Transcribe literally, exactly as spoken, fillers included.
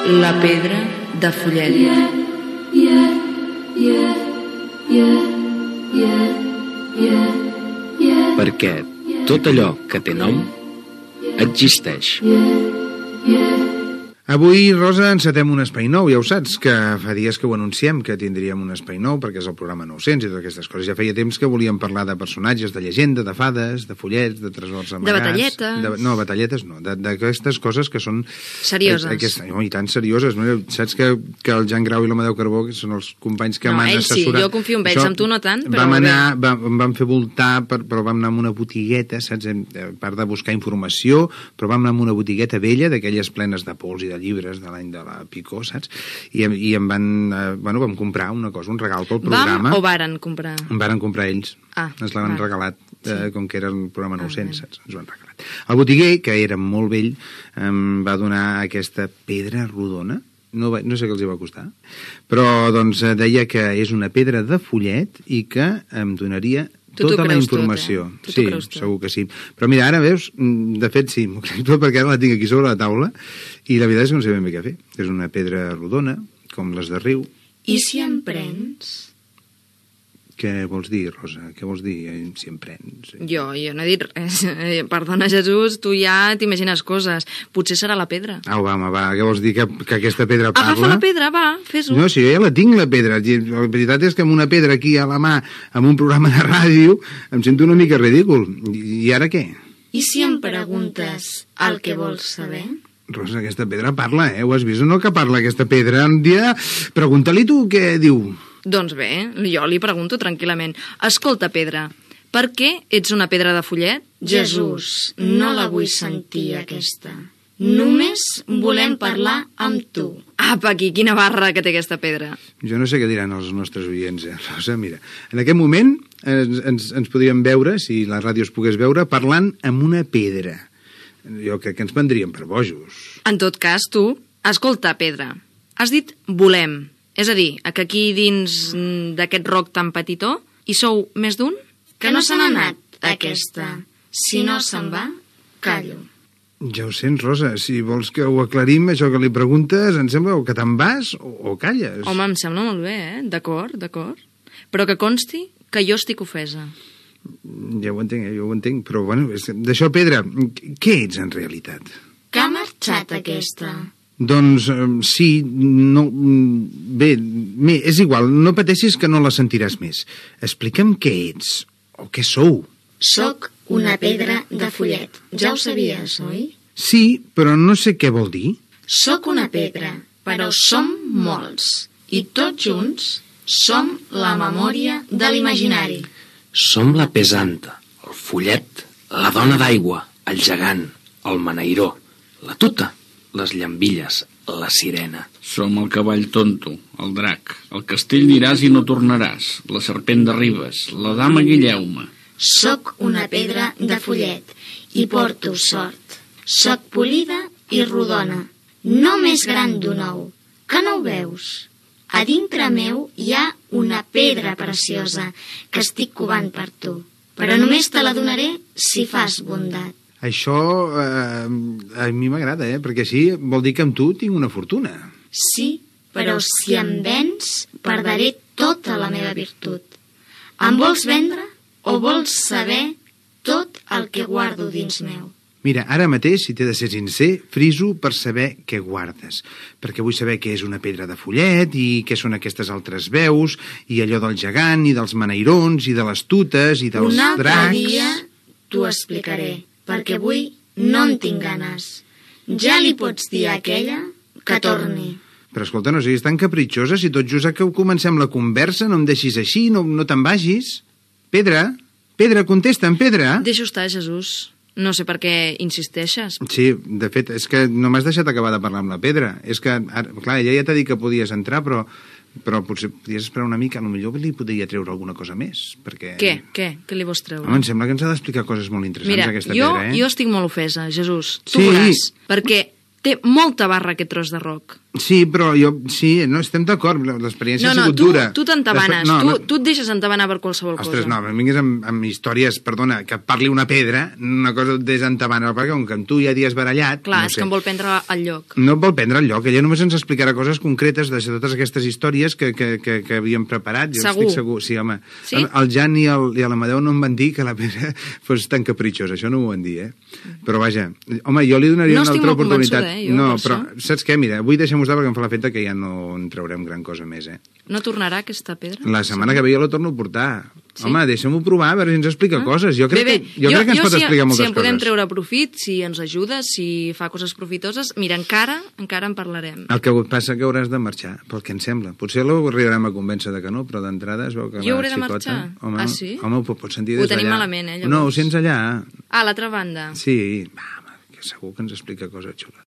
La pedra de Follet. Perquè tot allò que té nom existeix. Avui, Rosa, encetem un espai nou, ja ho saps, que fa dies que ho anunciem, que tindríem un espai nou, perquè és el programa nou-cents i totes aquestes coses. Ja feia temps que volíem parlar de personatges, de llegenda, de fades, de follets, de tresors amagats... De batalletes. De, no, batalletes no, d'aquestes coses que són... Serioses. Aquest, no, i tan serioses. No? Saps que, que el Jan Grau i l'Amadeu Carbó són els companys que no, m'han assessorat... No, ells sí, jo confio en ells, amb tu no tant, però... Vam anar, vam, em vam fer voltar, per, però vam anar a una botigueta, saps? A part de buscar informació, però vam anar a una botigueta vella, d'aquelles plenes de pols i de llibres de l'any de la Picó, saps? I, i em van... Eh, bueno, vam comprar una cosa, un regal pel programa. Vam o varen comprar? Em varen comprar ells. Ah, ens l'han regalat, eh, sí. Com que era el programa nou-cents, ah, saps? Ens ho han regalat. El botiguer, que era molt vell, em va donar aquesta pedra rodona. No, va, no sé què els hi va costar, però doncs deia que és una pedra de Follet i que em donaria tu tota la informació. Tot, eh? Sí, segur que sí. Però mira, ara veus, de fet sí, m'ho crec tot perquè ara la tinc aquí sobre la taula i la veritat és que no sé ben bé què fer. És una pedra rodona, com les de riu. I si em prens? Què vols dir, Rosa? Què vols dir, si em prens? Jo, jo no he dit res. Perdona, Jesús, tu ja t'imagines coses. Potser serà la pedra. Au, va, home, va, què vols dir, que, que aquesta pedra parla? Agafa la pedra, va, fes-ho. No, si jo ja la tinc, la pedra. La veritat és que amb una pedra aquí a la mà, amb un programa de ràdio, em sento una mica ridícul. I ara què? I si em preguntes el que vols saber? Rosa, aquesta pedra parla, eh? Ho has vist o no que parla aquesta pedra? Un dia, pregunta-li tu què diu. Doncs bé, jo li pregunto tranquil·lament. Escolta, pedra, per què ets una pedra de Follet? Jesús, no la vull sentir, aquesta. Només volem parlar amb tu. Apa, aquí, quina barra que té aquesta pedra. Jo no sé què diran els nostres oients, eh, Rosa? Mira, en aquest moment ens, ens, ens podríem veure, si la ràdio es pogués veure, parlant amb una pedra. Jo crec que ens prendríem per bojos. En tot cas, tu, escolta, pedra, has dit volem. És a dir, que aquí dins d'aquest roc tan petitó hi sou més d'un? Que no se n'ha anat, aquesta. Si no se'n va, callo. Ja ho sents, Rosa. Si vols que ho aclarim, això que li preguntes, em sembla o que te'n vas o, o calles. Home, em sembla molt bé, eh? D'acord, d'acord. Però que consti que jo estic ofesa. Ja ho entenc, eh? Jo ho entenc. Però, bueno, d'això, Pedra, què ets en realitat? Que ha marxat aquesta? Doncs eh, sí, no... Bé, bé, és igual, no pateixis que no la sentiràs més. Explica'm què ets, o què sou. Soc una pedra de Follet. Ja ho sabies, oi? Sí, però no sé què vol dir. Soc una pedra, però som molts. I tots junts som la memòria de l'imaginari. Som la pesanta, el follet, la dona d'aigua, el gegant, el maneiró, la tuta, les llambilles, la sirena. Som el cavall tonto, el drac, el castell diràs i no tornaràs, la serpent de Ribes, la dama Guilleume. Soc una pedra de Follet i porto sort. Soc polida i rodona, no més gran d'un ou, que no ho veus? A dintre meu hi ha una pedra preciosa que estic covant per tu, però només te la donaré si fas bondat. Això eh, a mi m'agrada, eh? Perquè així vol dir que amb tu tinc una fortuna. Sí, però si em vens, perdré tota la meva virtut. Em vols vendre o vols saber tot el que guardo dins meu? Mira, ara mateix, si t'he de ser sincer, friso per saber què guardes. Perquè vull saber què és una pedra de Follet i què són aquestes altres veus i allò del gegant i dels maneirons i de les tutes i dels Un altre dracs... dia t'ho explicaré, perquè avui no en tinc ganes. Ja li pots dir a aquella que torni. Però escolta, no siguis tan capritxosa, si tot just que comencem la conversa, no em deixis així, no, no te'n vagis. Pedra, Pedra, contesta'm, Pedra. Deixa estar, Jesús. No sé per què insisteixes. Sí, de fet, és que no m'has deixat acabar de parlar amb la Pedra. És que, ara, clar, ella ja t'ha dit que podies entrar, però... però potser podies esperar una mica, potser li podria treure alguna cosa més, perquè... Què? Què? Què li vols treure? Home, em sembla que ens ha d'explicar coses molt interessants, Mira, aquesta jo, pedra, eh? jo estic molt ofesa, Jesús. Tu sí. veuràs, perquè té molta barra aquest tros de roc. Sí, però jo... Sí, no, estem d'acord. L'experiència no, no, ha sigut tu, dura. tu t'entabanes. No, tu, no. tu et deixes entabanar per qualsevol Ostres, cosa. no, em vinguis amb, amb històries, perdona, que et parli una pedra, una cosa et desentabana, perquè com que amb tu ja dies barallat... Clar, no és sé. que em vol prendre el lloc. No et vol prendre el lloc, ella només ens explicarà coses concretes de totes aquestes històries que, que, que, que havíem preparat. Jo Segur. estic segur. Sí, home. Sí? El Jan i el- i l'Amadeu no em van dir que la pedra fos tan capritxosa, això no m'ho van dir, eh? Però vaja, home, jo li donaria No una estic altra molt oportunitat. convençuda, eh, jo, no, per però això. saps què? Mira, avui deixem-ho estar perquè em fa l'efecte que ja no en traurem gran cosa més, eh? No tornarà aquesta pedra? La setmana que ve jo la torno a portar. Sí? Home, deixem-ho provar, a veure si ens explica Ah. coses. Jo crec, bé, bé. Que, jo crec que ens pot si, explicar moltes si en podem coses. treure profit, si ens ajuda, si fa coses profitoses, mira, encara encara en parlarem. El que passa que hauràs de marxar, pel que em sembla. Potser l'arribarem a convèncer de que no, però d'entrada es veu que Jo la hauré de xicota... marxar? Home, Ah, sí? Home, ho pots sentir Ho des d'allà. tenim malament, eh, llavors. No, ho sents allà. Ah, a l'altra banda. Sí, va, home, que segur que ens explica coses xules.